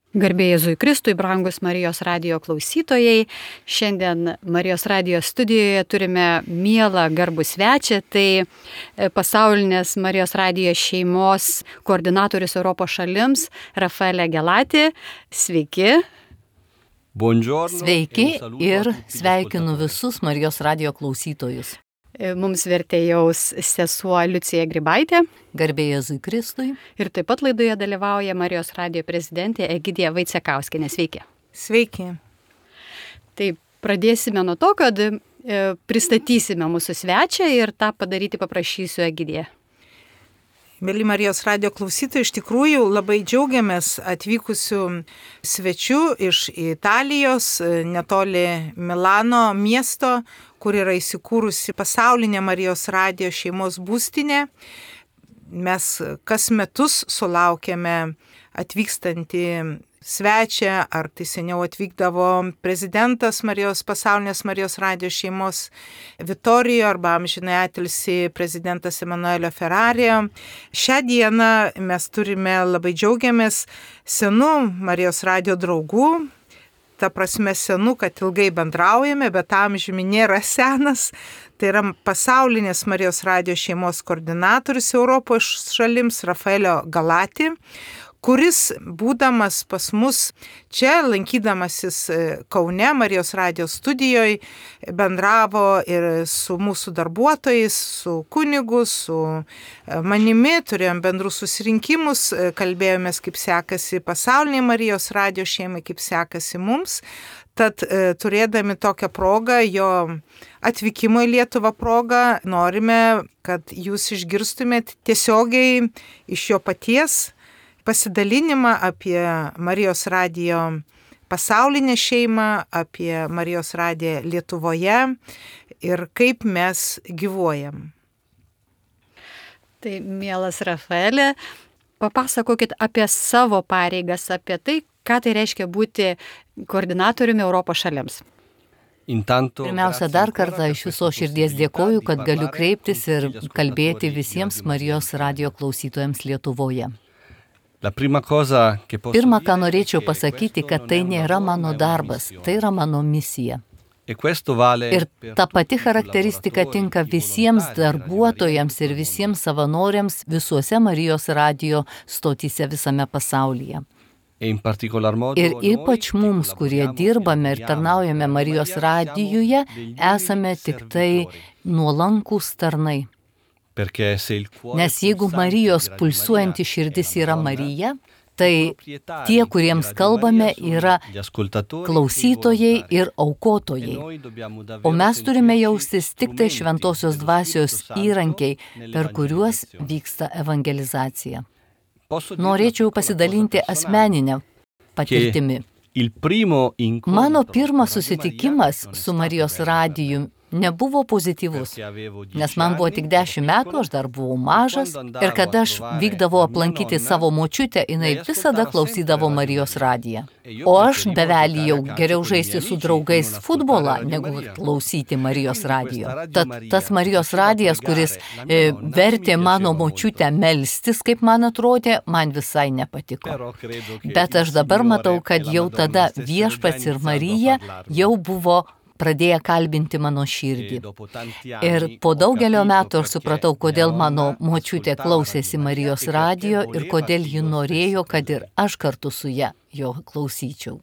Garbė Jėzui Kristui, brangus Marijos radijo klausytojai. Šiandien Marijos radijo studijoje turime mielą garbų svečią, tai pasaulinės Marijos radijo šeimos koordinatorius Europos šalims Rafaelė Gelati. Sveiki. Buongiorno. Sveiki ir sveikinu visus Marijos radijo klausytojus. Mums vertėjaus sesuo Liucija Grybaitė. Garbė Jėzui Kristui. Ir taip pat laidoje dalyvauja Marijos radijo prezidentė Egidija Vaicekauskienė. Sveiki. Sveiki. Tai pradėsime nuo to, kad pristatysime mūsų svečią ir tą padaryti paprašysiu Egidiją. Mėly Marijos radijo klausytojai, iš tikrųjų labai džiaugiamės atvykusių svečių iš Italijos, netoli Milano miesto, kur yra įsikūrusi pasaulinė Marijos radijo šeimos būstinė. Mes kas metus sulaukiame atvykstantį svečią, ar tai seniau atvykdavo prezidentas pasaulinės Marijos radijo šeimos Vitorijo arba amžinai atilsį prezidentas Emanuelio Ferrarijo. Šią dieną mes turime, labai džiaugiamės, senų Marijos radijo draugų. Ta prasme senų, kad ilgai bendraujame, bet amžiumi nėra senas. Tai yra pasaulinės Marijos radijo šeimos koordinatorius Europos šalims Rafaelio Gelati, kuris, būdamas pas mus čia, lankydamasis Kaune Marijos radijo studijoje, bendravo ir su mūsų darbuotojais, su kunigu, su manimi, turėjom bendrus susirinkimus, kalbėjomės, kaip sekasi pasauliniai Marijos radijo šeimai, kaip sekasi mums. Tad turėdami tokią progą, jo atvykimo į Lietuvą progą, norime, kad jūs išgirstumėt tiesiogiai iš jo paties pasidalinimą apie Marijos radijo pasaulinę šeimą, apie Marijos radiją Lietuvoje ir kaip mes gyvuojam. Tai mielas Rafaelė, papasakokit apie savo pareigas, apie tai, ką tai reiškia būti koordinatoriumi Europos šalims. Pirmiausia, dar kartą iš viso širdies dėkoju, kad galiu kreiptis ir kalbėti visiems Marijos radijo klausytojams Lietuvoje. Pirma, ką norėčiau pasakyti, kad tai nėra mano darbas, tai yra mano misija. Ir ta pati charakteristika tinka visiems darbuotojams ir visiems savanoriams visuose Marijos radijo stotyse visame pasaulyje. Ir ypač mums, kurie dirbame ir tarnaujame Marijos radijuje, esame tik tai nuolankūs tarnai. Nes jeigu Marijos pulsuojanti širdis yra Marija, tai tie, kuriems kalbame, yra klausytojai ir aukotojai. O mes turime jaustis tik tai šventosios dvasios įrankiai, per kuriuos vyksta evangelizacija. Norėčiau pasidalinti asmeninę patirtimi. Mano pirmas susitikimas su Marijos radiju nebuvo pozityvus, nes man buvo tik 10 metų, aš dar buvau mažas ir kada aš vykdavau aplankyti savo močiutę, jinai visada klausydavo Marijos radiją. O aš bevelyjau geriau žaisti su draugais futbolą, negu klausyti Marijos radijo. Tad tas Marijos radijas, kuris vertė mano močiutę melstis, kaip man atrodė, man visai nepatiko. Bet aš dabar matau, kad jau tada Viešpats ir Marija jau buvo pradėję kalbinti mano širdį. Ir po daugelio metų aš supratau, kodėl mano močiutė klausėsi Marijos radijo ir kodėl ji norėjo, kad ir aš kartu su ja jo klausyčiau.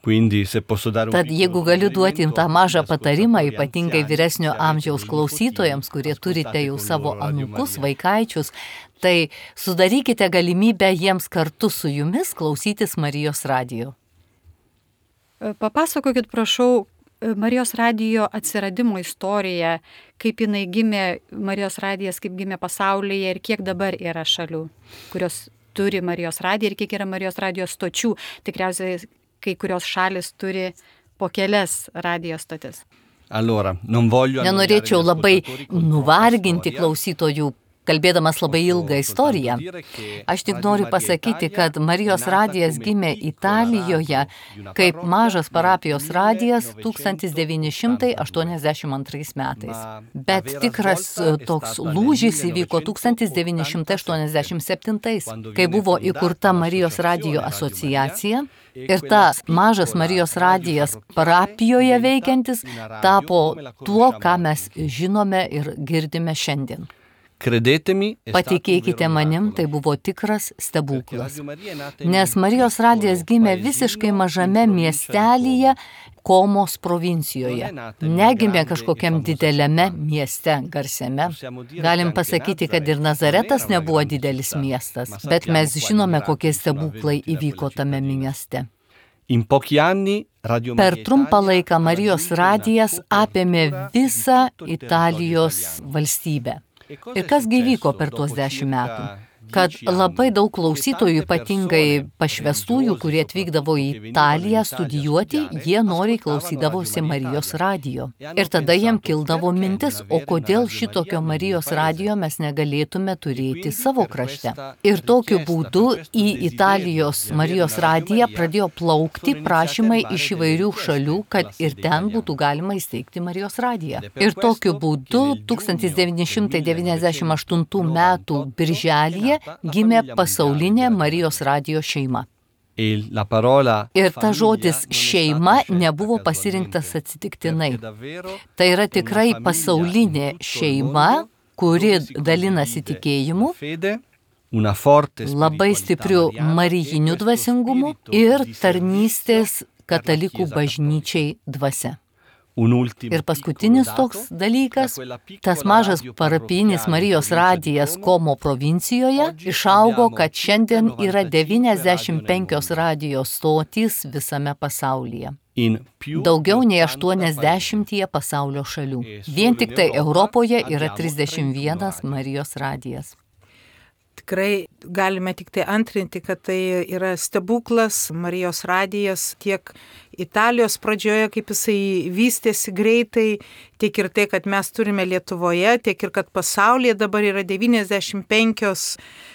Tad jeigu galiu duoti tą mažą patarimą, ypatingai vyresnio amžiaus klausytojams, kurie turite jau savo anūkus, vaikaičius, tai sudarykite galimybę jiems kartu su jumis klausytis Marijos radijo. Papasakokit, prašau, Marijos radijo atsiradimo istorija, kaip jinai gimė, Marijos radijas kaip gimė pasaulyje ir kiek dabar yra šalių, kurios turi Marijos radiją ir kiek yra Marijos radijos stočių. Tikriausiai kai kurios šalis turi po kelias radijos stotis. Nenorėčiau labai nuvarginti klausytojų kalbėdamas labai ilgą istoriją. Aš tik noriu pasakyti, kad Marijos radijas gimė Italijoje kaip mažas parapijos radijas 1982 metais. Bet tikras toks lūžis įvyko 1987, kai buvo įkurta Marijos radijo asociacija. Ir tas mažas Marijos radijas parapijoje veikiantis tapo tuo, ką mes žinome ir girdime šiandien. Patikėkite manim, tai buvo tikras stebuklas. Nes Marijos radijas gimė visiškai mažame miestelyje Komos provincijoje. Negimė kažkokiam dideliame mieste, garsiame. Galim pasakyti, kad ir Nazaretas nebuvo didelis miestas, bet mes žinome, kokie stebuklai įvyko tame mieste. Per trumpą laiką Marijos radijas apėmė visą Italijos valstybę. Ir kas vyko per tuos 10 metų? Kad labai daug klausytojų, ypatingai pašvestųjų, kurie atvykdavo į Italiją studijuoti, jie noriai klausydavosi Marijos radijo. Ir tada jiem kildavo mintis, o kodėl šitokio Marijos radijo mes negalėtume turėti savo krašte. Ir tokiu būdu į Italijos Marijos radiją pradėjo plaukti prašymai iš įvairių šalių, kad ir ten būtų galima įsteigti Marijos radiją. Ir tokiu būdu 1998 metų birželyje gimė pasaulinė Marijos radijo šeima. Ir ta žodis šeima nebuvo pasirinktas atsitiktinai. Tai yra tikrai pasaulinė šeima, kuri dalinasi tikėjimu, labai stipriu marijiniu dvasingumu ir tarnystės katalikų bažnyčiai dvasia. Ir paskutinis toks dalykas, tas mažas parapijinis Marijos radijas Komo provincijoje išaugo, kad šiandien yra 95 radijos stotys visame pasaulyje. Daugiau nei 80 pasaulio šalių. Vien tik tai Europoje yra 31 Marijos radijas. Tikrai galime tik tai antrinti, kad tai yra stebuklas, Marijos radijas tiek Italijos pradžioje, kaip jisai vystėsi greitai, tiek ir tai, kad mes turime Lietuvoje, tiek ir kad pasaulyje dabar yra 95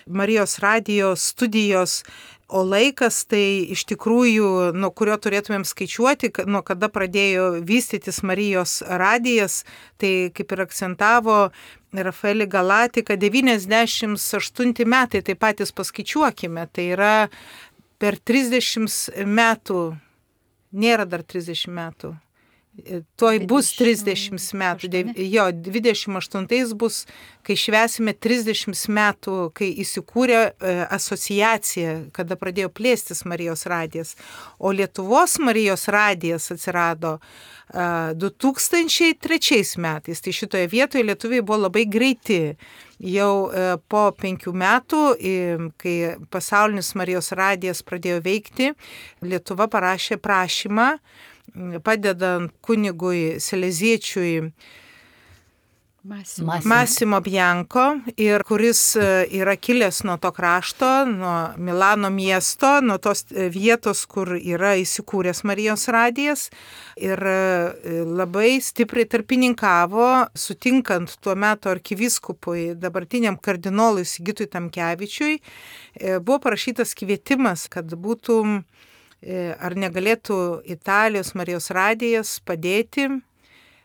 Marijos radijo studijos, o laikas tai iš tikrųjų, nuo kurio turėtumėm skaičiuoti, nuo kada pradėjo vystytis Marijos radijas, tai kaip ir akcentavo Rafaelį Galatį, kad 98 metai, tai patys paskaičiuokime, tai yra per 30 metų, nėra dar 30 metų, tuoj bus 30 metų, 28 bus, kai švęsime 30 metų, kai įsikūrė asociacija, kada pradėjo plėstis Marijos radijas, o Lietuvos Marijos radijas atsirado 2003 metais, tai šitoje vietoje lietuviai buvo labai greiti. Jau po 5 metų, kai pasaulinis Marijos radijas pradėjo veikti, Lietuva parašė prašymą, padedant kunigui Seleziečiui Massimo Bianco, ir kuris yra kilęs nuo to krašto, nuo Milano miesto, nuo tos vietos, kur yra įsikūręs Marijos radijas, ir labai stipriai tarpininkavo, sutinkant tuo metu arkivyskupui, dabartiniam kardinolui Sigitui Tamkevičiui, buvo parašytas kvietimas, kad būtų, ar negalėtų Italijos Marijos radijas padėti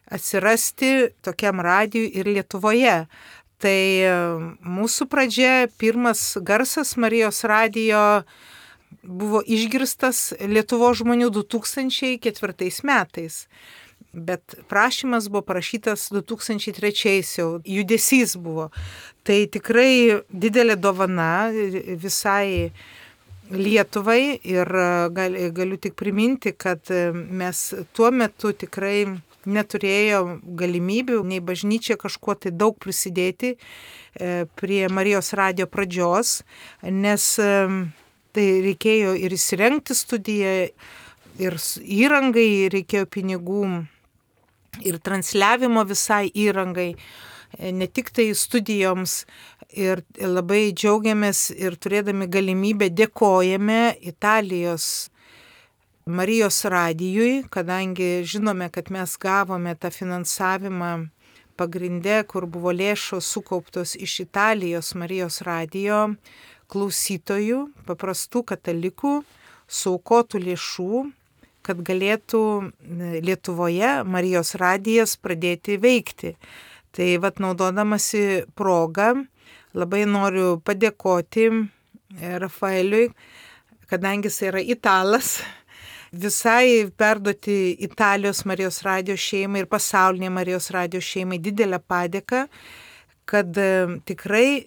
atsirasti tokiam radijui ir Lietuvoje. Tai mūsų pradžia, pirmas garsas Marijos radijo buvo išgirstas Lietuvos žmonių 2004 metais. Bet prašymas buvo parašytas 2003, jau judesys buvo. Tai tikrai didelė dovana visai Lietuvai, ir galiu tik priminti, kad mes tuo metu tikrai neturėjo galimybių, nei bažnyčia kažkuo tai daug prisidėti prie Marijos radijo pradžios, nes tai reikėjo ir įsirengti studiją, ir įrangai reikėjo pinigų, ir transliavimo visai įrangai, ne tik tai studijoms. Ir labai džiaugiamės ir turėdami galimybę dėkojame Italijos Marijos radijui, kadangi žinome, kad mes gavome tą finansavimą pagrinde, kur buvo lėšos sukauptos iš Italijos Marijos radijo klausytojų, paprastų katalikų, suaukotų lėšų, kad galėtų Lietuvoje Marijos radijas pradėti veikti. Tai naudodamasi progą, labai noriu padėkoti Rafaeliui, kadangi jis yra italas, visai perduoti Italijos Marijos radijo šeimai ir pasaulinė Marijos radijo šeimai didelę padėką, kad tikrai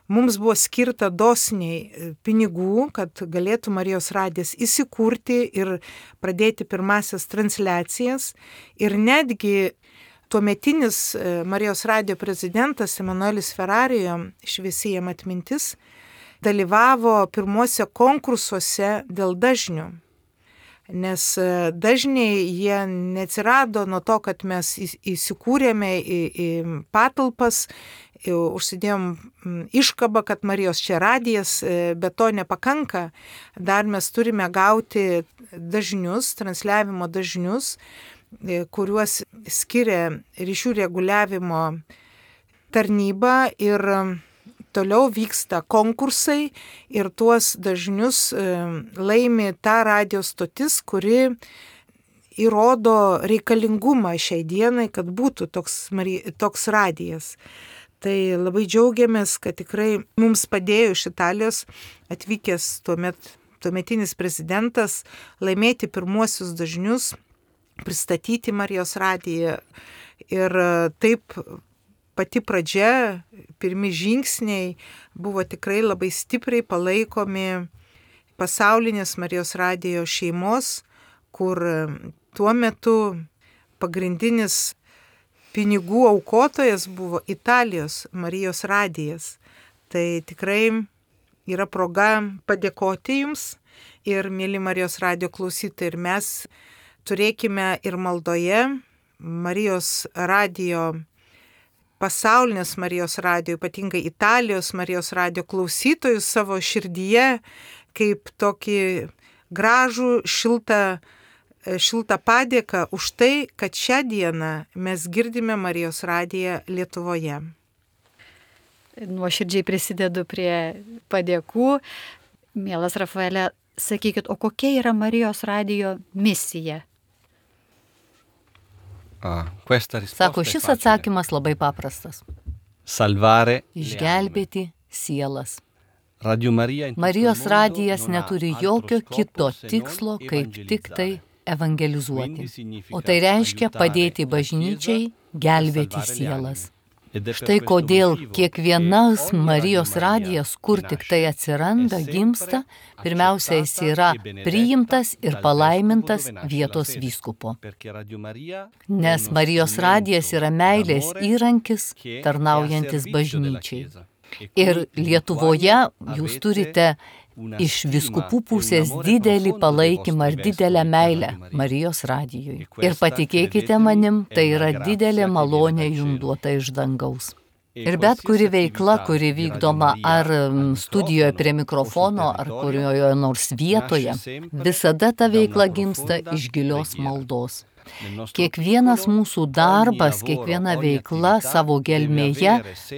mums buvo skirta dosniai pinigų, kad galėtų Marijos radijas įsikurti ir pradėti pirmasias transliacijas. Ir netgi tuometinis Marijos radijo prezidentas Emanuelis Ferrarijo, šviesi jam atmintis, dalyvavo pirmuose konkursuose dėl dažnių. Nes dažniai jie neatsirado nuo to, kad mes įsikūrėme į patalpas, užsidėjom iškabą, kad Marijos čia radijas, bet to nepakanka. Dar mes turime gauti dažnius, transliavimo dažnius, kuriuos skiria ryšių reguliavimo tarnyba ir toliau vyksta konkursai ir tuos dažnius laimi ta radijo stotis, kuri įrodo reikalingumą šiai dienai, kad būtų toks radijas. Tai labai džiaugiamės, kad tikrai mums padėjo iš Italijos atvykęs tuometinis prezidentas laimėti pirmuosius dažnius, pristatyti Marijos radiją. Ir taip pati pradžia, pirmi žingsniai buvo tikrai labai stipriai palaikomi pasaulinės Marijos radijo šeimos, kur tuo metu pagrindinis pinigų aukotojas buvo Italijos Marijos radijas. Tai tikrai yra proga padėkoti jums ir, mėly Marijos radijo klausytojai, ir mes turėkime ir maldoje Marijos radijo, pasaulinės Marijos radijo, ypatingai Italijos Marijos radijo klausytojus savo širdyje, kaip tokį gražų, šiltą padėką už tai, kad šią dieną mes girdime Marijos radiją Lietuvoje. Nuoširdžiai prisidedu prie padėkų. Mielas Rafaelė, sakykit, o kokia yra Marijos radijo misija? Sako, šis atsakymas labai paprastas. Išgelbėti sielas. Marijos radijas neturi jokio kito tikslo, kaip tik tai evangelizuoti. O tai reiškia padėti bažnyčiai gelbėti sielas. Štai kodėl kiekvienas Marijos radijas, kur tik tai atsiranda, gimsta, pirmiausia, jis yra priimtas ir palaimintas vietos vyskupo. Nes Marijos radijas yra meilės įrankis, tarnaujantis bažnyčiai. Ir Lietuvoje jūs turite iš vyskupų pusės didelį palaikymą ir didelę meilę Marijos radijui. Ir patikėkite manim, tai yra didelė malonė jums duota iš dangaus. Ir bet kuri veikla, kuri vykdoma ar studijoje prie mikrofono, ar kurioje nors vietoje, visada ta veikla gimsta iš gilios maldos. Kiekvienas mūsų darbas, kiekviena veikla savo gelmėje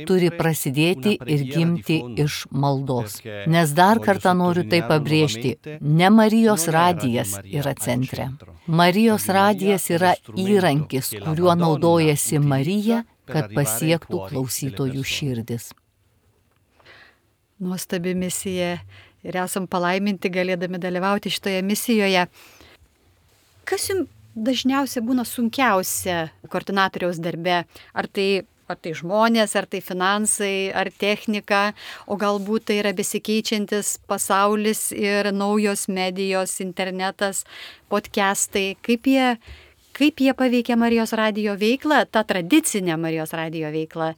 turi prasidėti ir gimti iš maldos. Nes dar kartą noriu tai pabrėžti, ne Marijos radijas yra centre. Marijos radijas yra įrankis, kuriuo naudojasi Marija, kad pasiektų klausytojų širdis. Nuostabi misija ir esam palaiminti galėdami dalyvauti šitoje misijoje. Kas jums dažniausiai būna sunkiausia koordinatoriaus darbe? Ar tai žmonės, ar tai finansai, ar technika, o galbūt tai yra besikeičiantis pasaulis ir naujos medijos, internetas, podcastai. Kaip jie paveikia Marijos radijo veiklą, tą tradicinę Marijos radijo veiklą?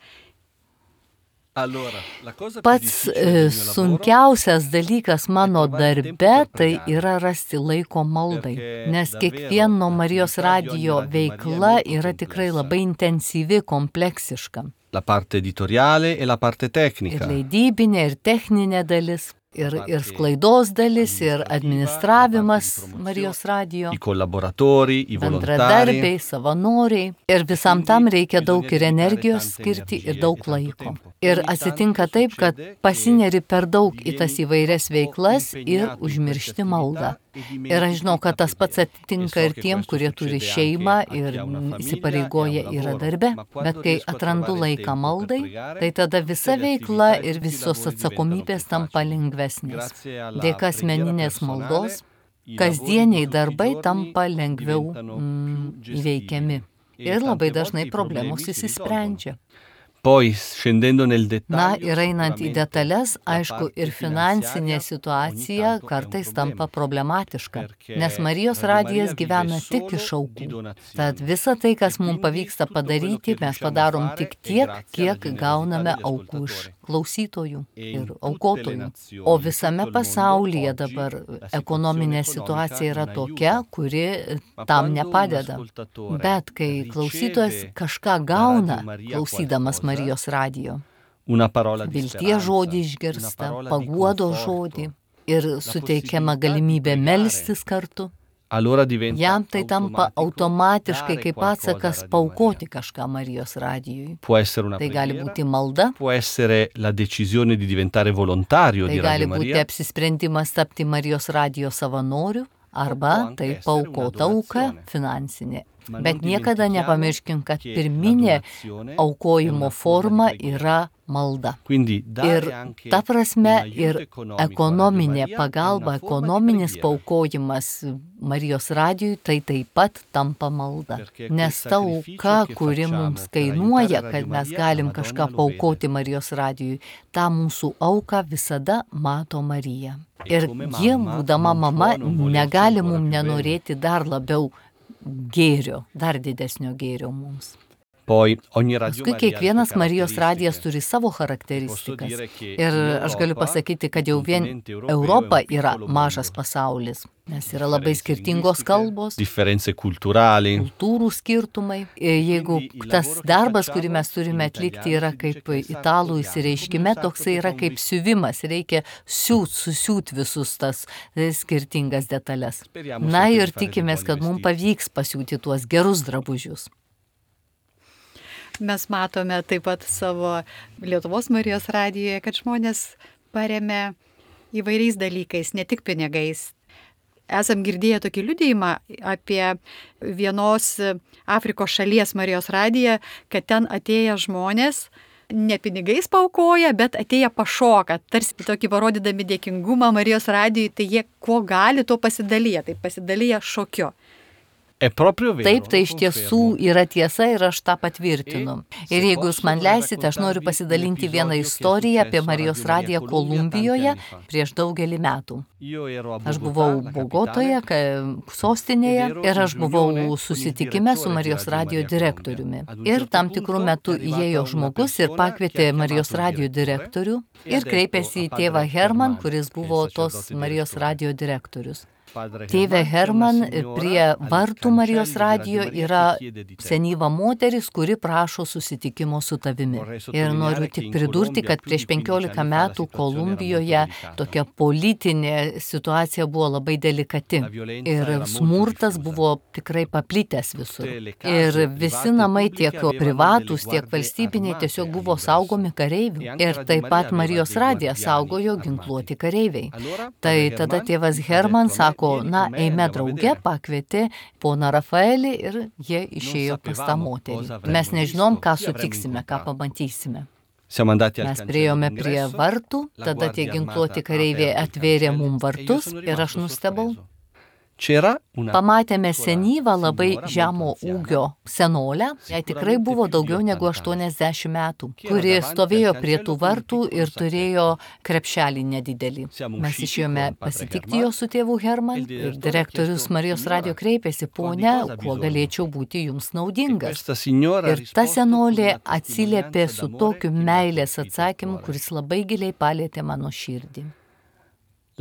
Pats sunkiausias dalykas mano darbe tai yra rasti laiko maldai, nes kiekvieno Marijos radijo veikla yra tikrai labai intensyvi, kompleksiška. La parte editoriale e la parte tecnica. Ir leidybinė, ir techninė dalis. ir sklaidos dalis, ir administravimas Marijos radijo, bendradarbiai, savanoriai. Ir visam tam reikia daug ir energijos skirti ir daug laiko. Ir atsitinka taip, kad pasineri per daug į tas įvairias veiklas ir užmiršti maldą. Ir aš žinau, kad tas pats atsitinka ir tiem, kurie turi šeimą ir įsipareigoja yra darbe. Bet kai atrandu laiką maldai, tai tada visa veikla ir visos atsakomybės tampa lengvesnės. Dėka asmeninės maldos, kasdieniai darbai tampa lengviau įveikiami. Ir labai dažnai problemos įsisprendžia. Na ir einant į detalės, aišku, ir finansinė situacija kartais tampa problematiška, nes Marijos radijas gyvena tik iš aukų. Tad visa tai, kas mums pavyksta padaryti, mes padarom tik tiek, kiek gauname aukų iš klausytojų ir aukotojų. O visame pasaulyje dabar ekonominė situacija yra tokia, kuri tam nepadeda. Bet kai klausytojas kažką gauna, klausydamas Marijos radijo, vilties žodį išgirsta, paguodos žodį ir suteikiama galimybė melstis kartu, jam tai tampa automatiškai kaip atsakas paaukoti kažką Marijos radijui. Tai gali būti malda, tai gali būti apsisprendimas tapti Marijos radijo savanoriu, arba tai paaukota auka finansinė. Bet niekada nepamirškim, kad pirminė aukojimo forma yra malda. Ir ta prasme ir ekonominė pagalba, ekonominis paaukojimas Marijos radijui, tai taip pat tampa malda. Nes ta auka, kuri mums kainuoja, kad mes galim kažką paaukoti Marijos radijui, tą mūsų auką visada mato Marija. Ir ji, būdama mama, negali mums nenorėti dar labiau gėrio, dar didesnio gėrio mums. Paskui kiekvienas Marijos radijas turi savo charakteristikas. Ir aš galiu pasakyti, kad jau vien Europa yra mažas pasaulis, nes yra labai skirtingos kalbos, kultūrų skirtumai. Jeigu tas darbas, kurį mes turime atlikti, yra kaip italų įsireiškime, toksai yra kaip siuvimas, reikia susiūt visus tas skirtingas detalės. Na ir tikimės, kad mums pavyks pasiūti tuos gerus drabužius. Mes matome taip pat savo Lietuvos Marijos radijoje, kad žmonės paremia įvairiais dalykais, ne tik pinigais. Esam girdėję tokį liudijimą apie vienos Afrikos šalies Marijos radiją, kad ten atėję žmonės ne pinigais paaukoja, bet atėję pašoka, tarsi tokį parodydami dėkingumą Marijos radijui, tai jie kuo gali, to pasidalyja, tai pasidalyja šokiu. Taip, tai iš tiesų yra tiesa ir aš tą patvirtinu. Ir jeigu jūs man leisite, aš noriu pasidalinti vieną istoriją apie Marijos radiją Kolumbijoje prieš daugelį metų. Aš buvau Bogotoje, sostinėje, ir aš buvau susitikime su Marijos radijo direktoriumi. Ir tam tikrų metų įėjo žmogus ir pakvietė Marijos radijo direktorių ir kreipėsi į tėvą Herman, kuris buvo tos Marijos radijo direktorius. Tėve Herman, prie vartų Marijos radijo yra senyva moteris, kuri prašo susitikimo su tavimi. Ir noriu tik pridurti, kad prieš 15 metų Kolumbijoje tokia politinė situacija buvo labai delikati. Ir smurtas buvo tikrai paplitęs visur. Ir visi namai, tiek privatūs, tiek valstybiniai, tiesiog buvo saugomi kareivių. Ir taip pat Marijos radiją saugojo ginkluoti kareiviai. Tai tada tėvas Herman sako, eime drauge, pakvietė poną Rafaelį ir jie išėjo pas tą moterį. Mes nežinom, ką sutiksime, ką pamatysime. Mes priėjome prie vartų, tada tie ginkluoti kareiviai atvėrė mums vartus ir aš nustebau. Pamatėme senyvą labai žemo ūgio senolę, jai tikrai buvo daugiau negu 80 metų, kuri stovėjo prie tų vartų ir turėjo krepšelį nedidelį. Mes išėjome pasitikti jo su tėvu Herman ir direktorius Marijos radijo kreipėsi, ponia, kuo galėčiau būti jums naudingas. Ir ta senolė atsiliepė su tokiu meilės atsakymu, kuris labai giliai palėtė mano širdį.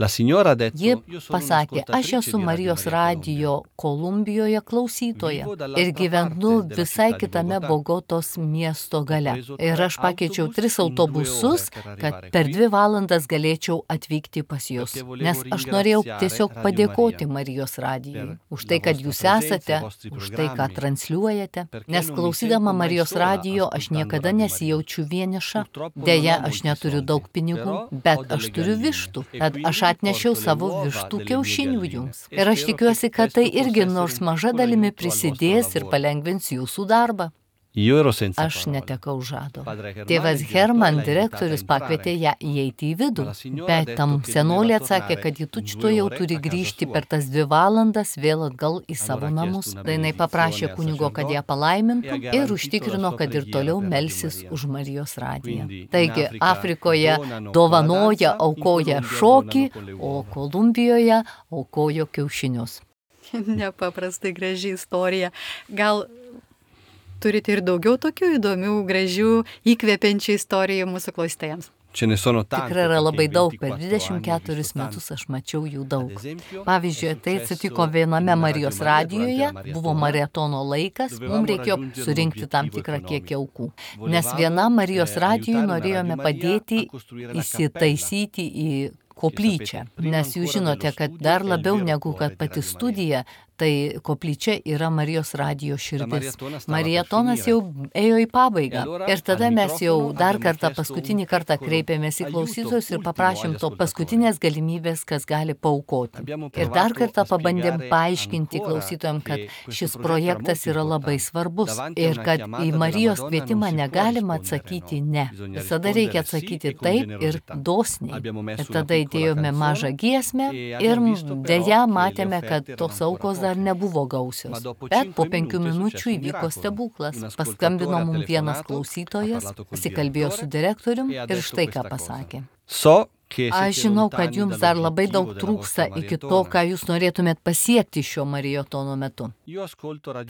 Ji pasakė, aš esu Marijos radijo Kolumbijoje klausytoja ir gyvenu visai kitame Bogotos miesto gale. Ir aš pakeičiau 3 autobusus, kad per 2 valandas galėčiau atvykti pas jūs. Nes aš norėjau tiesiog padėkoti Marijos radijui už tai, kad jūs esate, už tai, ką transliuojate. Nes klausydama Marijos radijo aš niekada nesijaučiu vieniša. Deja, aš neturiu daug pinigų, bet aš turiu vištų. Tad aš atnešiau savo vištų kiaušinių jums. Ir aš tikiuosi, kad tai irgi nors maža dalimi prisidės ir palengvins jūsų darbą. Aš netekau žado. Tėvas Herman, direktorius, pakvietė ją įeiti į vidų, bet tam senolė atsakė, kad ji tučtuojau turi grįžti per tas 2 valandas vėl atgal į savo namus. Tai jinai paprašė kunigo, kad ją palaimintų ir užtikrino, kad ir toliau melsis už Marijos radiją. Taigi, Afrikoje dovanoja, aukoja šokį, o Kolumbijoje aukojo kiaušinius. Nepaprastai graži istorija. Gal turite ir daugiau tokių įdomių, gražių, įkvepiančių istorijų mūsų klausytojams? Tikrai yra labai daug, per 24 metus aš mačiau jų daug. Pavyzdžiui, tai atsitiko viename Marijos radijoje, buvo maratono laikas, mums reikėjo surinkti tam tikrą kiekį aukų. Nes vienam Marijos radijui norėjome padėti įsitaisyti į koplyčią, nes jūs žinote, kad dar labiau negu kad pati studija, tai koplyčia yra Marijos radijo širdis. Maratonas jau ėjo į pabaigą. Ir tada mes jau paskutinį kartą kreipėmės į klausytojus ir paprašėm to paskutinės galimybės, kas gali paaukoti. Ir dar kartą pabandėm paaiškinti klausytojams, kad šis projektas yra labai svarbus ir kad į Marijos kvietimą negalima atsakyti ne. Visada reikia atsakyti taip ir dosniai. Ir tada įdėjome mažą giesmę ir deja matėme, kad tos aukos dar nebuvo gausios. Bet po 5 minučių įvyko stebuklas. Paskambino mums vienas klausytojas, pasikalbėjo su direktorium ir štai ką pasakė. Aš žinau, kad jums dar labai daug trūksta iki to, ką jūs norėtumėt pasiekti šio maratono metu.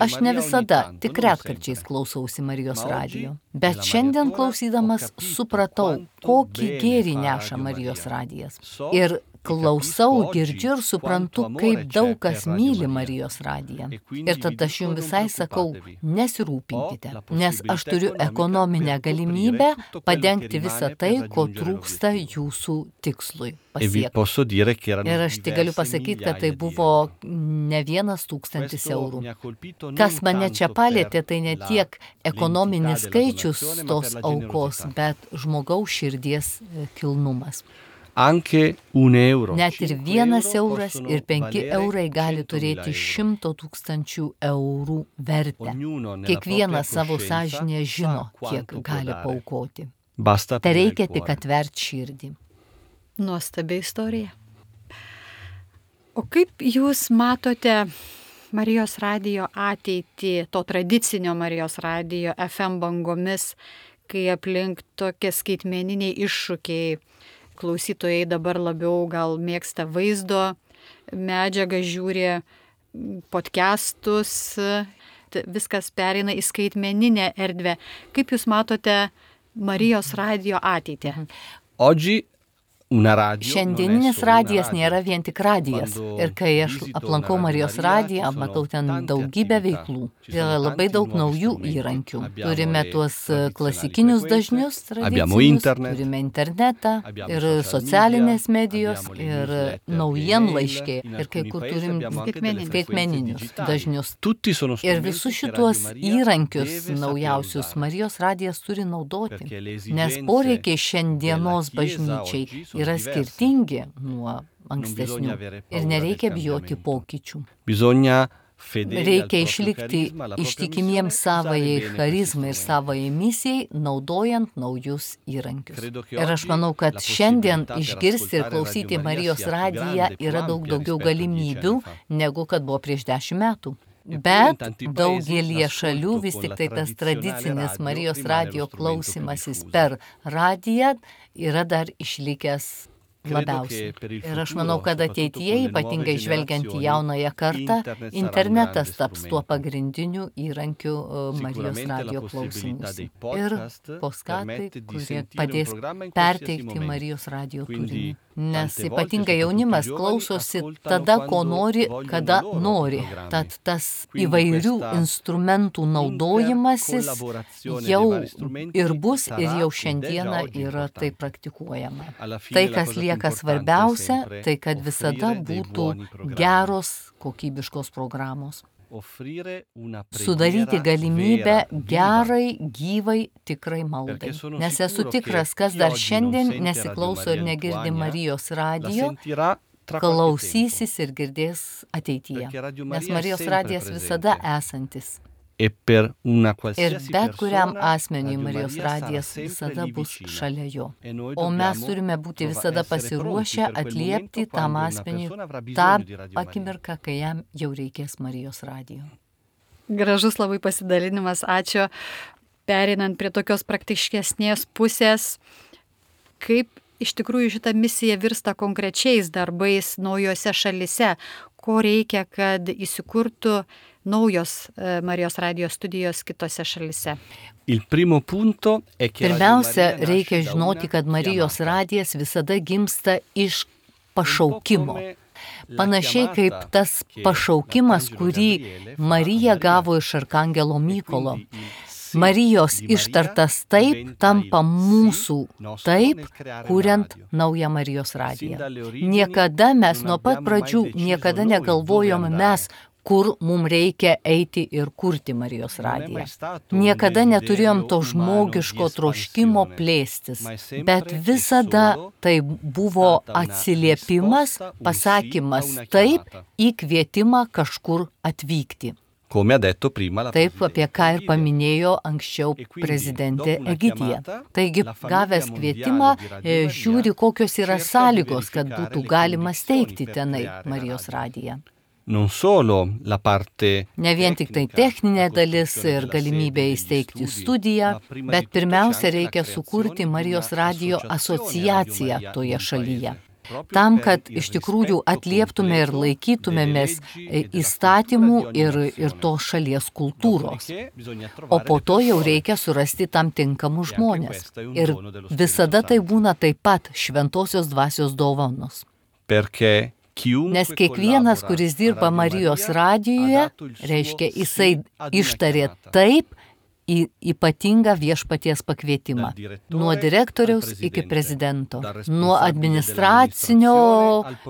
Aš ne visada, tik retkarčiais klausausi Marijos radijo. Bet šiandien klausydamas supratau, kokį gėrį neša Marijos radijas. Ir klausau, girdžiu ir suprantu, kaip daug kas myli Marijos radiją. Ir tada aš jums visai sakau, nesirūpinkite, nes aš turiu ekonominę galimybę padengti visą tai, ko trūksta jūsų tikslui pasiekti. Ir aš tik galiu pasakyti, kad tai buvo ne 1,000 eurų. Kas mane čia palėtė, tai ne tiek ekonominis skaičius tos aukos, bet žmogaus širdies kilnumas. Net ir 1 euras ir 5 eurai gali turėti 100 000 eurų vertę. Kiekvienas savo sąžinėje žino, kiek gali paaukoti. Tai reikia tik atvert širdį. Nuostabi istorija. O kaip jūs matote Marijos radijo ateitį, to tradicinio Marijos radijo FM bangomis, kai aplink tokie skaitmeniniai iššūkiai, klausytojai dabar labiau gal mėgsta vaizdo medžiagą, žiūri podcastus, viskas pereina į skaitmeninę erdvę. Kaip jūs matote Marijos radijo ateitį? Šiandieninis radijas nėra vien tik radijas. Ir kai aš aplankau Marijos radiją, matau ten daugybę veiklų. Yra labai daug naujų įrankių. Turime tuos klasikinius dažnius, tradicinius, turime internetą ir socialinės medijos ir naujienlaiškiai. Ir kai kur turim skaitmeninius dažnius. Ir visus šituos įrankius naujausius Marijos radijas turi naudoti. Nes poreikiai šiandienos bažnyčiai yra skirtingi nuo ankstesnių ir nereikia bijoti pokyčių. Reikia išlikti ištikimiems savajai charizmai ir savajai misijai, naudojant naujus įrankius. Ir aš manau, kad šiandien išgirsti ir klausyti Marijos radiją yra daug daugiau galimybių, negu kad buvo prieš 10 metų. Bet daugelie šalių vis tik tai tas tradicinis Marijos radijo klausimasis per radiją yra dar išlikęs labiausiai. Ir aš manau, kad ateityje, ypatingai žvelgiant į jaunąją kartą, internetas taps tuo pagrindiniu įrankiu Marijos radijo klausimus. Ir podkastai, kurie padės perteikti Marijos radijo turinį. nes ypatingai jaunimas klausosi tada, ko nori, kada nori. Tad tas įvairių instrumentų naudojimasis jau ir bus, ir jau šiandieną yra tai praktikuojama. Tai, kas lieka svarbiausia, tai kad visada būtų geros, kokybiškos programos. Sudaryti galimybę gerai, gyvai, tikrai maldai. Nes esu tikras, kas dar šiandien nesiklauso ir negirdi Marijos radijo, klausysis ir girdės ateityje. Nes Marijos radijas visada esantis. Ir bet kuriam asmeniui Marijos radijas visada bus šalia jo. O mes turime būti visada pasiruošę atliepti tam asmeniui tą akimirką, kai jam jau reikės Marijos radijo. Gražus labai pasidalinimas, ačiū. Pereinant prie tokios praktiškesnės pusės, kaip iš tikrųjų šita misija virsta konkrečiais darbais naujose šalise, ko reikia, kad įsikurtų naujos Marijos radijo studijos kitose šalise. Pirmiausia, reikia žinoti, kad Marijos radijas visada gimsta iš pašaukimo. Panašiai kaip tas pašaukimas, kurį Marija gavo iš arkangelo Mykolo. Marijos ištartas taip tampa mūsų taip, kuriant naują Marijos radiją. Niekada mes nuo pat pradžių niekada negalvojome mes, kur mums reikia eiti ir kurti Marijos radiją. Niekada neturėjom to žmogiško troškimo plėstis, bet visada tai buvo atsiliepimas, pasakymas taip į kvietimą kažkur atvykti. Taip, apie ką ir paminėjo anksčiau prezidentė Egidija. Taigi, gavęs kvietimą, žiūri, kokios yra sąlygos, kad būtų galima steigti tenai Marijos radiją. Ne vien tik tai techninė dalis ir galimybė įsteigti studiją, bet pirmiausia reikia sukurti Marijos radijo asociaciją toje šalyje. Tam, kad iš tikrųjų atlieptume ir laikytumėmės įstatymų ir tos šalies kultūros. O po to jau reikia surasti tam tinkamus žmonės. Ir visada tai būna taip pat šventosios dvasios dovanos. Nes kiekvienas, kuris dirba Marijos radijoje, reiškia, jisai ištarė taip į ypatingą viešpaties pakvietimą. Nuo direktoriaus iki prezidento, nuo administracinio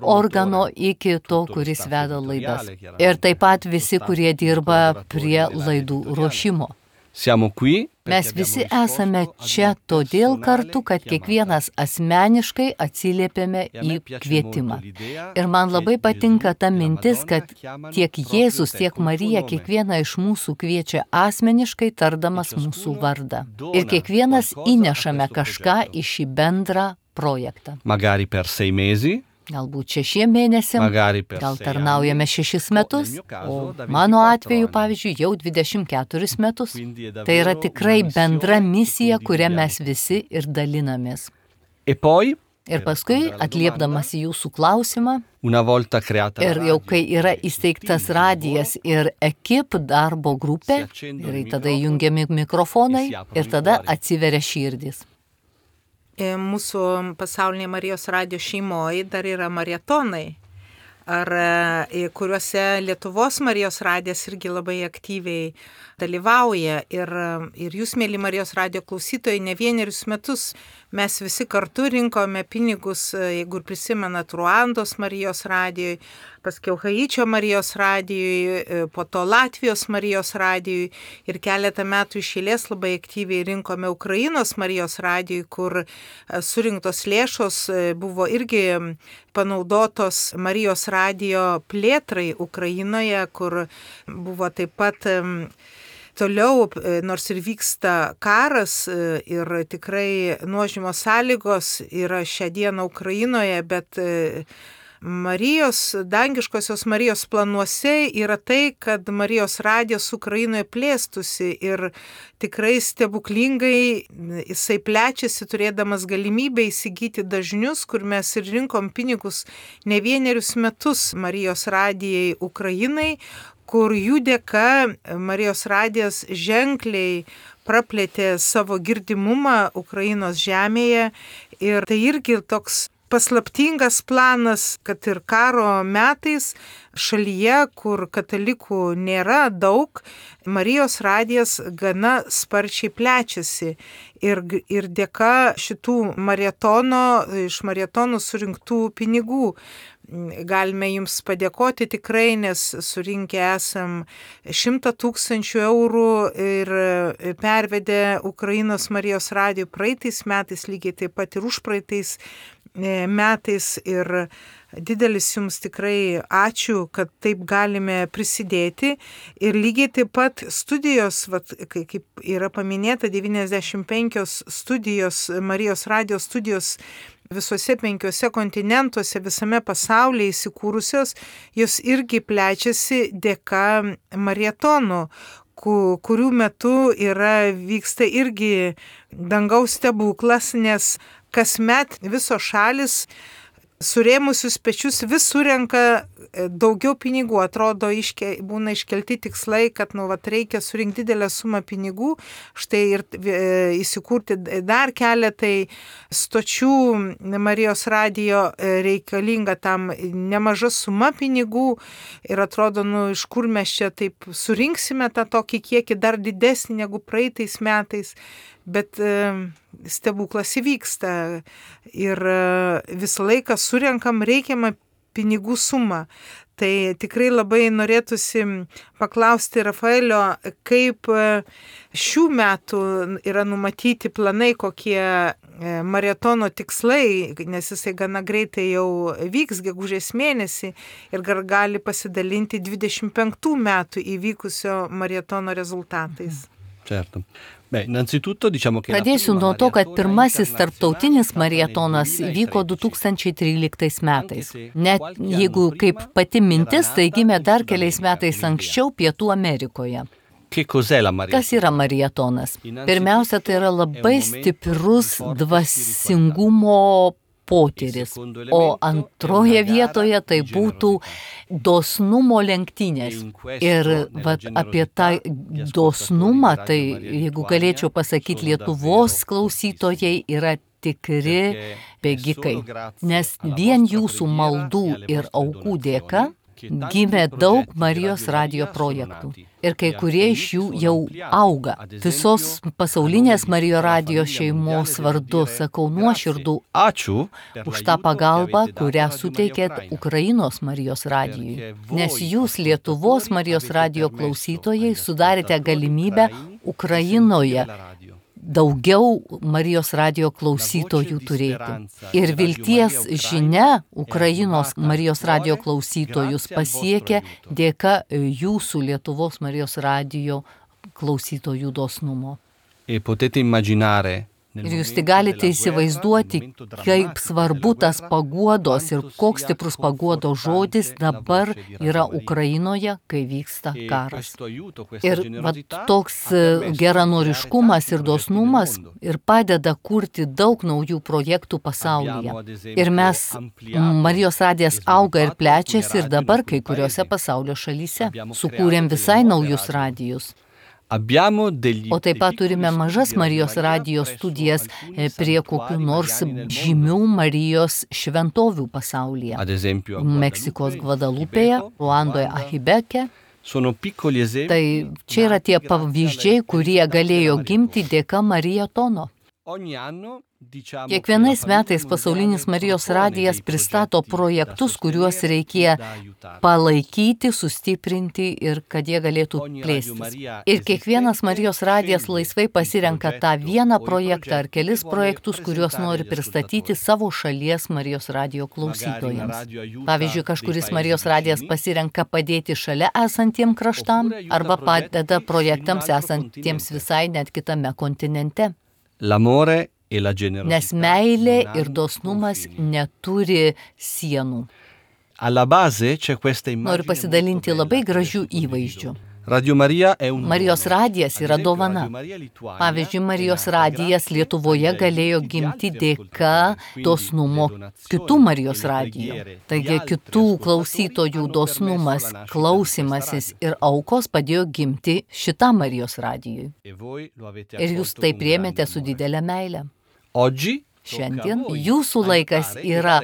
organo iki to, kuris veda laidas. Ir taip pat visi, kurie dirba prie laidų ruošimo. Mes visi esame čia todėl kartu, kad kiekvienas asmeniškai atsiliepėme į kvietimą. Ir man labai patinka ta mintis, kad tiek Jėzus, tiek Marija kiekvieną iš mūsų kviečia asmeniškai tardamas mūsų vardą. Ir kiekvienas įnešame kažką į šį bendrą projektą. Galbūt 6 mėnesiam, gal tarnaujame 6 metus, o mano atveju, pavyzdžiui, jau 24 metus. Tai yra tikrai bendra misija, kurią mes visi ir dalinamės. Ir paskui, atliepdamas į jūsų klausimą, ir jau kai yra įsteigtas radijas ir ekip darbo grupė, ir tada jungiami mikrofonai, ir tada atsiveria širdis. Mūsų pasaulinė Marijos radijo šeimoje dar yra marietonai, kuriuose Lietuvos Marijos radijas irgi labai aktyviai dalyvauja. Ir jūs, mėly Marijos radijo klausytojai, ne vienerius metus mes visi kartu rinkome pinigus, jeigu prisimenat, Ruandos Marijos radijoj, paskiau Haičio Marijos radijoj, po to Latvijos Marijos radijoj ir keletą metų iš eilės labai aktyviai rinkome Ukrainos Marijos radijoj, kur surinktos lėšos buvo irgi panaudotos Marijos radijo plėtrai Ukrainoje, kur buvo taip pat toliau, nors ir vyksta karas ir tikrai nuožmos sąlygos yra šią dieną Ukrainoje, bet dangiškosios Marijos planuose yra tai, kad Marijos radijas Ukrainoje plėstusi ir tikrai stebuklingai jisai plečiasi, turėdamas galimybę įsigyti dažnius, kur mes ir rinkom pinigus ne vienerius metus Marijos radijai Ukrainai, kur jų dėka Marijos radijas ženkliai praplėtė savo girdimumą Ukrainos žemėje. Ir tai irgi toks paslaptingas planas, kad ir karo metais šalyje, kur katalikų nėra daug, Marijos radijas gana sparčiai plečiasi. Ir dėka šitų iš maratono surinktų pinigų galime jums padėkoti tikrai, nes surinkę esam 100 000 eurų ir pervedė Ukrainos Marijos radijui praeitais metais, lygiai taip pat ir užpraeitais metais. Ir didelis jums tikrai ačiū, kad taip galime prisidėti. Ir lygiai taip pat studijos, kaip yra paminėta, 95 studijos, Marijos radijos studijos visose 5 kontinentuose, visame pasaulyje įsikūrusios, jos irgi plečiasi dėka maratono, kurių metu vyksta irgi dangaus stebuklas, nes kasmet visos šalis surėmusius pečius vis surenka daugiau pinigų. Atrodo, būna iškelti tikslai, kad reikia surinkti didelę sumą pinigų, štai ir įsikurti dar keletai stočių Marijos radijo reikalinga tam nemaža suma pinigų. Ir atrodo, iš kur mes čia taip surinksime tą tokį kiekį dar didesnį negu praeitais metais. Bet stebuklas įvyksta ir visą laiką surenkam reikiamą pinigų sumą. Tai tikrai labai norėtųsi paklausti Rafaelio, kaip šių metų yra numatyti planai, kokie maratono tikslai, nes jisai gana greitai jau vyks gegužės mėnesį ir gali pasidalinti 25 metų įvykusio maratono rezultatais. Certo. Pradėsiu nuo to, kad pirmasis tarptautinis maratonas vyko 2013 metais. Net jeigu kaip pati mintis, tai gimė dar keliais metais anksčiau Pietų Amerikoje. Kas yra maratonas? Pirmiausia, tai yra labai stiprus dvasingumo potyris, o antroje vietoje tai būtų dosnumo lenktynės. Ir apie tą dosnumą, tai jeigu galėčiau pasakyti, Lietuvos klausytojai yra tikri bėgikai, nes vien jūsų maldų ir aukų dėka gimė daug Marijos radijo projektų. Ir kai kurie iš jų jau auga. Visos pasaulinės Marijos radijo šeimos vardu sakau nuoširdų ačiū už tą pagalbą, kurią suteikėt Ukrainos Marijos radijui. Nes jūs, Lietuvos Marijos radijo klausytojai, sudarėte galimybę Ukrainoje daugiau Marijos radijo klausytojų turėti. Ir vilties žinia Ukrainos Marijos radijo klausytojus pasiekė dėka jūsų Lietuvos Marijos radijo klausytojų dosnumo. Ir jūs tik galite įsivaizduoti, kaip svarbu tas paguodos ir koks stiprus paguodos žodis dabar yra Ukrainoje, kai vyksta karas. Ir toks geranoriškumas ir dosnumas ir padeda kurti daug naujų projektų pasaulyje. Ir mes, Marijos radijas auga ir plečiasi ir dabar kai kuriuose pasaulio šalyse. Sukūrėm visai naujus radijus. O taip pat turime mažas Marijos radijo studijas prie kokių nors žymių Marijos šventovių pasaulyje. Meksikos Gvadalupėje, Ruandoje Ahibeke. Tai čia yra tie pavyzdžiai, kurie galėjo gimti dėka maratono. Kiekvienais metais pasaulinis Marijos radijas pristato projektus, kuriuos reikia palaikyti, sustiprinti ir kad jie galėtų plėstis. Ir kiekvienas Marijos radijas laisvai pasirenka tą vieną projektą ar kelis projektus, kuriuos nori pristatyti savo šalies Marijos radijo klausytojams. Pavyzdžiui, kažkuris Marijos radijas pasirenka padėti šalia esantiem kraštam arba padeda projektams esantiems visai net kitame kontinente. Nes meilė ir dosnumas neturi sienų. Noriu pasidalinti labai gražių įvaizdžių. Marijos radijas yra dovana. Pavyzdžiui, Marijos radijas Lietuvoje galėjo gimti dėka dosnumo kitų Marijos radijų. Taigi kitų klausytojų dosnumas, klausymasis ir aukos padėjo gimti šitam Marijos radijui. Ir jūs tai priėmėte su didelė meile. šiandien jūsų laikas yra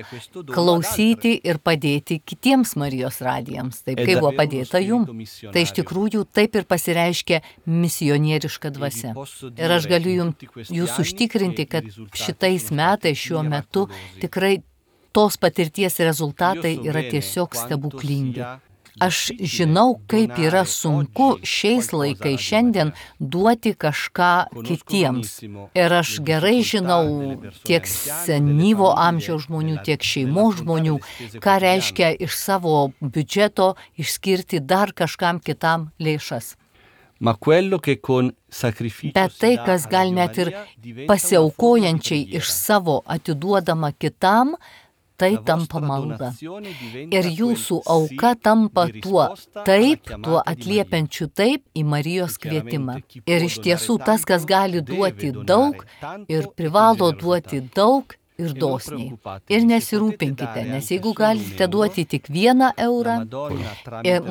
klausyti ir padėti kitiems Marijos radijams, taip kaip buvo padėta jums. Tai iš tikrųjų taip ir pasireiškia misionieriška dvasia. Ir aš galiu jūs užtikrinti, kad šitais metais šiuo metu tikrai tos patirties rezultatai yra tiesiog stebuklingi. Aš žinau, kaip yra sunku šiais laikais šiandien duoti kažką kitiems. Ir aš gerai žinau tiek senyvo amžiaus žmonių, tiek šeimos žmonių, ką reiškia iš savo biudžeto išskirti dar kažkam kitam lėšas. Bet tai, kas gal net ir pasiaukojančiai iš savo atiduodama kitam, tai tampa malda. Ir jūsų auka tampa tuo atliepiančiu taip į Marijos kvietimą. Ir iš tiesų tas, kas gali duoti daug ir privalo duoti daug ir dosniai. Ir nesirūpinkite, nes jeigu galite duoti tik 1 eurą,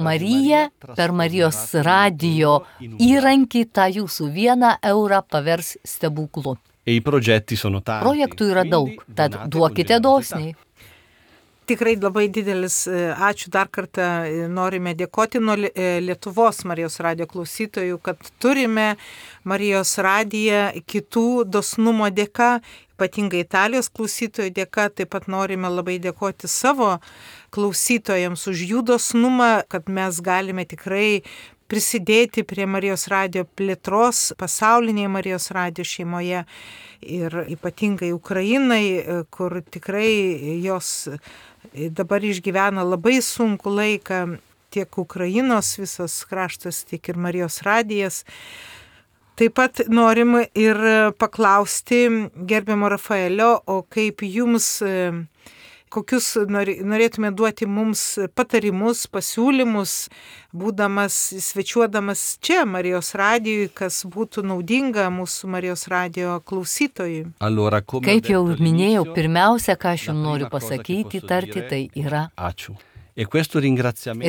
Marija per Marijos radijo įrankį tą jūsų 1 eurą pavers stebuklu. Projektų yra daug, tad duokite dosniai. Tikrai labai didelis ačiū dar kartą norime dėkoti nuo Lietuvos Marijos radijo klausytojų, kad turime Marijos radiją kitų dosnumo dėka, ypatingai Italijos klausytojų dėka. Taip pat norime labai dėkoti savo klausytojams už jų dosnumą, kad mes galime tikrai prisidėti prie Marijos radijo plėtros pasaulinėje Marijos radijo šeimoje ir ypatingai Ukrainai, kur tikrai jos dabar išgyvena labai sunku laiką, tiek Ukrainos visas kraštas, tiek ir Marijos radijas. Taip pat norim ir paklausti gerbiamo Rafaelio, o kaip jums, kokius norėtume duoti mums patarimus, pasiūlymus, svečiuodamas čia Marijos radijui, kas būtų naudinga mūsų Marijos radijo klausytojui. Kaip jau minėjau, pirmiausia, ką aš jums noriu pasakyti, tarti, tai yra ačiū. Ir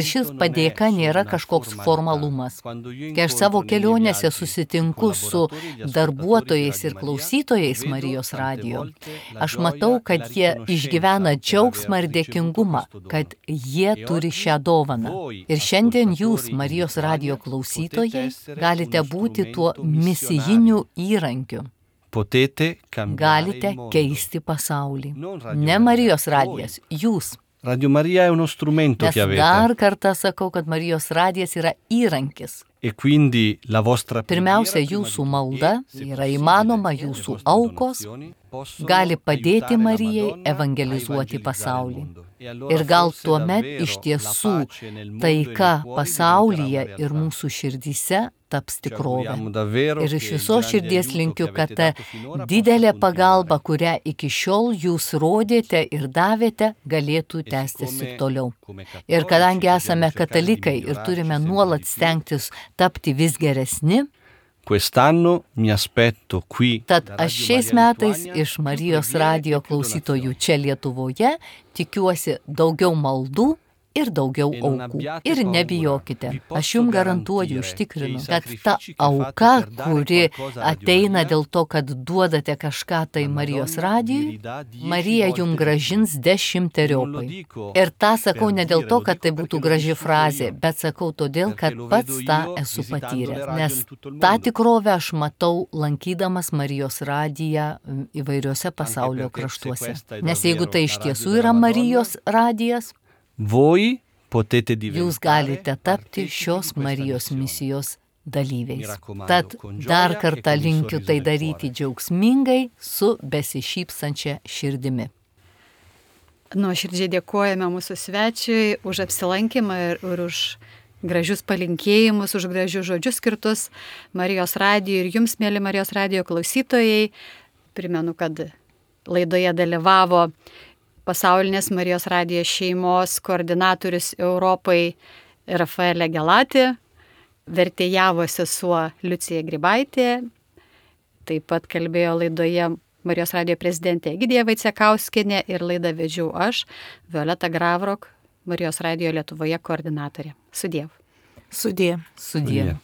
šis padėka nėra kažkoks formalumas. Kai aš savo kelionėse susitinku su darbuotojais ir klausytojais Marijos radijo, aš matau, kad jie išgyvena džiaugsmą ir dėkingumą, kad jie turi šią dovaną. Ir šiandien jūs, Marijos radijo klausytojai, galite būti tuo misijiniu įrankiu. Galite keisti pasaulį. Ne Marijos radijas, jūs. Radio Maria è uno strumento che avete. Dar kartą sakau, kad Marijos radijas yra įrankis. Pirmiausia, jūsų malda yra įmanoma, jūsų aukos gali padėti Marijai evangelizuoti pasaulį. Ir gal tuomet iš tiesų taika pasaulyje ir mūsų širdyse taps tikrovė. Ir iš visos širdies linkiu, kad ta didelė pagalba, kurią iki šiol jūs rodėte ir davėte, galėtų tęstis ir toliau. Ir kadangi esame katalikai ir turime nuolat stengtis tapti vis geresni, tad aš šiais metais iš Marijos radijo klausytojų čia Lietuvoje tikiuosi daugiau maldų ir daugiau aukų. Ir nebijokite, aš jums garantuoju, užtikrinu, kad ta auka, kuri ateina dėl to, kad duodate kažką tai Marijos radijui, Marija jums gražins 10-eriopai. Ir tą sakau ne dėl to, kad tai būtų graži frazė, bet sakau todėl, kad pats tą esu patyręs. Nes tą tikrovę aš matau lankydamas Marijos radiją įvairiuose pasaulio kraštuose. Nes jeigu tai iš tiesų yra Marijos radijas, jūs galite tapti šios Marijos misijos dalyviais. Tad dar kartą linkiu tai daryti džiaugsmingai su besišypsančia širdimi. Nuoširdžiai dėkojame mūsų svečiui už apsilankymą ir už gražius palinkėjimus, už gražius žodžius skirtus Marijos radijui ir jums, mėly Marijos radijo klausytojai. Primenu, kad laidoje dalyvavo Pasaulinės Marijos radijo šeimos koordinatorius Europai Rafaelė Gelati, vertėjavo sesuo Liucija Grybaitė, taip pat kalbėjo laidoje Marijos radijo prezidentė Egidija Vaicekauskienė ir laidą vedžiau aš, Violeta Gravrok, Marijos radijo Lietuvoje koordinatorė. Sudiev. Sudie. Sudie.